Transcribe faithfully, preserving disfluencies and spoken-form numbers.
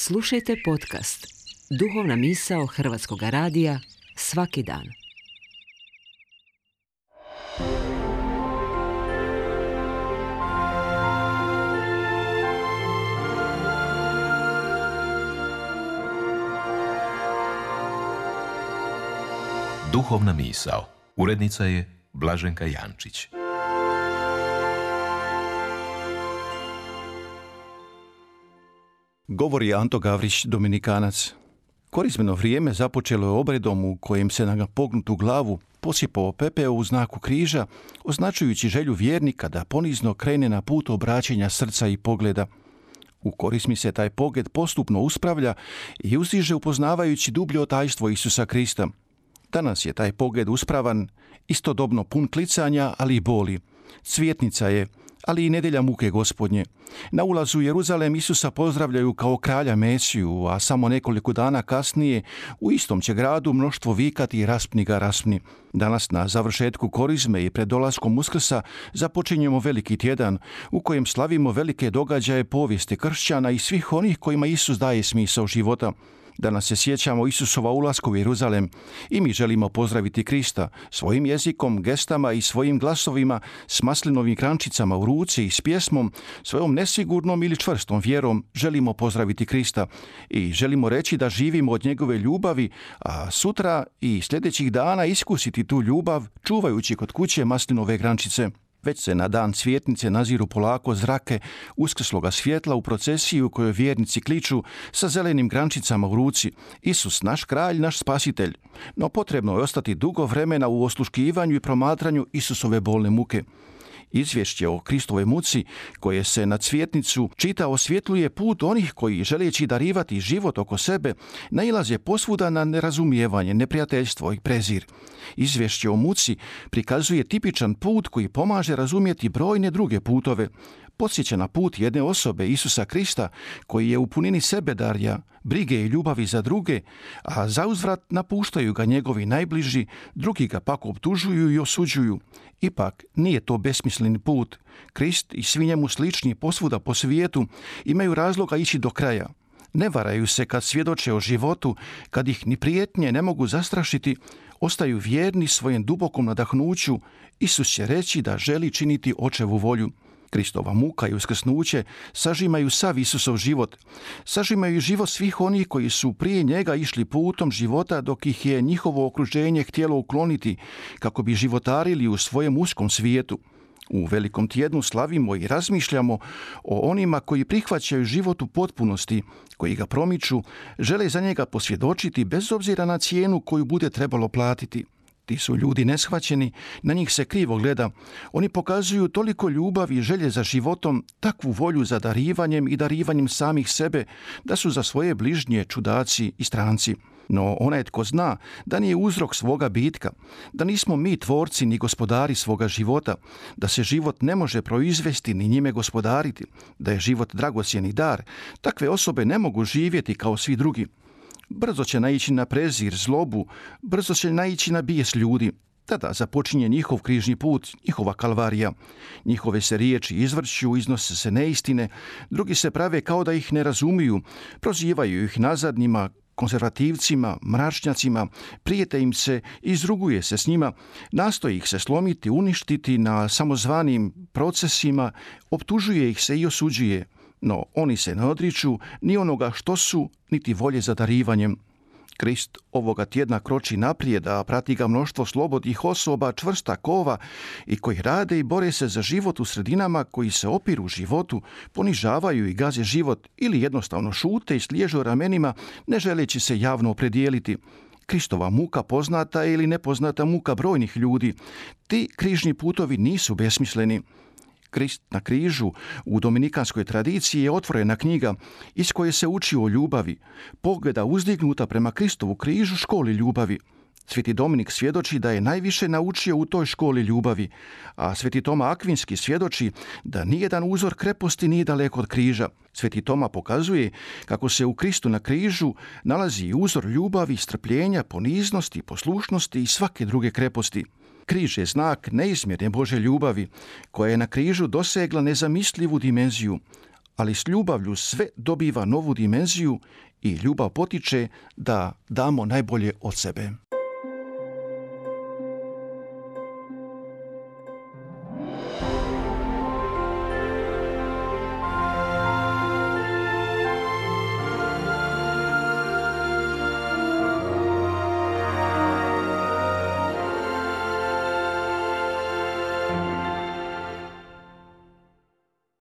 Slušajte podcast Duhovna misao Hrvatskog radija svaki dan. Duhovna misao. Urednica je Blaženka Jančić. Govori Anto Gavrić, Dominikanac. Korizmeno vrijeme započelo je obredom u kojem se na pognutu glavu posipao pepeo u znaku križa, označujući želju vjernika da ponizno krene na put obraćenja srca i pogleda. U korizmi se taj pogled postupno uspravlja i uzdiže upoznavajući dublje tajstvo Isusa Krista. Danas je taj pogled uspravan, istodobno pun klicanja, ali i boli. Cvjetnica je, ali i nedjelja muke Gospodnje. Na ulazu u Jeruzalem Isusa pozdravljaju kao kralja Mesiju, a samo nekoliko dana kasnije u istom će gradu mnoštvo vikati raspni ga, raspni. Danas na završetku korizme i pred dolaskom Uskrsa započinjemo veliki tjedan u kojem slavimo velike događaje povijesti kršćana i svih onih kojima Isus daje smisao života. Danas se sjećamo Isusova ulaska u Jeruzalem i mi želimo pozdraviti Krista svojim jezikom, gestama i svojim glasovima s maslinovim krančicama u ruci i s pjesmom, svojom nesigurnom ili čvrstom vjerom želimo pozdraviti Krista i želimo reći da živimo od njegove ljubavi, a sutra i sljedećih dana iskusiti tu ljubav čuvajući kod kuće maslinove grančice. Već se na dan cvjetnice naziru polako zrake uskrsloga svjetla u procesiji u kojoj vjernici kliču sa zelenim grančicama u ruci: Isus, naš kralj, naš spasitelj. No potrebno je ostati dugo vremena u osluškivanju i promatranju Isusove bolne muke. Izvješće o Kristovoj muci koje se na cvjetnicu čita osvjetljuje put onih koji, želeći darivati život oko sebe, nailaze posvuda na nerazumijevanje, neprijateljstvo i prezir. Izvješće o muci prikazuje tipičan put koji pomaže razumjeti brojne druge putove. Podsjeća na put jedne osobe, Isusa Krista, koji je u punini sebe darja, brige i ljubavi za druge, a zauzvrat napuštaju ga njegovi najbliži, drugi ga pak optužuju i osuđuju. Ipak nije to besmisleni put. Krist i svi njemu slični posvuda po svijetu imaju razloga ići do kraja. Ne varaju se kad svjedoče o životu, kad ih ni prijetnje ne mogu zastrašiti, ostaju vjerni svojem dubokom nadahnuću. Isus će reći da želi činiti očevu volju. Kristova muka i uskrsnuće sažimaju sav Isusov život. Sažimaju i život svih onih koji su prije njega išli putom života dok ih je njihovo okruženje htjelo ukloniti kako bi životarili u svojem uskom svijetu. U velikom tjednu slavimo i razmišljamo o onima koji prihvaćaju život u potpunosti, koji ga promiču, žele za njega posvjedočiti bez obzira na cijenu koju bude trebalo platiti. Ti su ljudi neshvaćeni, na njih se krivo gleda. Oni pokazuju toliko ljubavi i želje za životom, takvu volju za darivanjem i darivanjem samih sebe, da su za svoje bližnje čudaci i stranci. No onaj tko zna da nije uzrok svoga bitka, da nismo mi tvorci ni gospodari svoga života, da se život ne može proizvesti ni njime gospodariti, da je život dragocjeni dar, takve osobe ne mogu živjeti kao svi drugi. Brzo će naići na prezir, zlobu, brzo će naići na bijes ljudi. Tada započinje njihov križni put, njihova kalvarija. Njihove se riječi izvrću, iznose se neistine, drugi se prave kao da ih ne razumiju, prozivaju ih nazadnjima, konzervativcima, mračnjacima, prijete im se, izruguje se s njima, nastoji ih se slomiti, uništiti na samozvanim procesima, optužuje ih se i osuđuje. No oni se ne odriču ni onoga što su, niti volje za darivanjem. Krist ovoga tjedna kroči naprijed, a prati ga mnoštvo slobodnih osoba, čvrsta kova i koji rade i bore se za život u sredinama koji se opiru životu, ponižavaju i gaze život ili jednostavno šute i sliježu ramenima, ne želeći se javno opredijeliti. Kristova muka poznata ili nepoznata muka brojnih ljudi. Ti križni putovi nisu besmisleni. Krist na križu u dominikanskoj tradiciji je otvorena knjiga iz koje se uči o ljubavi, pogleda uzdignuta prema Kristovu križu školi ljubavi. Sveti Dominik svjedoči da je najviše naučio u toj školi ljubavi, a Sveti Toma Akvinski svjedoči da nijedan uzor kreposti nije daleko od križa. Sveti Toma pokazuje kako se u Kristu na križu nalazi uzor ljubavi, strpljenja, poniznosti, poslušnosti i svake druge kreposti. Križ je znak neizmjerne Božje ljubavi, koja je na križu dosegla nezamislivu dimenziju, ali s ljubavlju sve dobiva novu dimenziju i ljubav potiče da damo najbolje od sebe.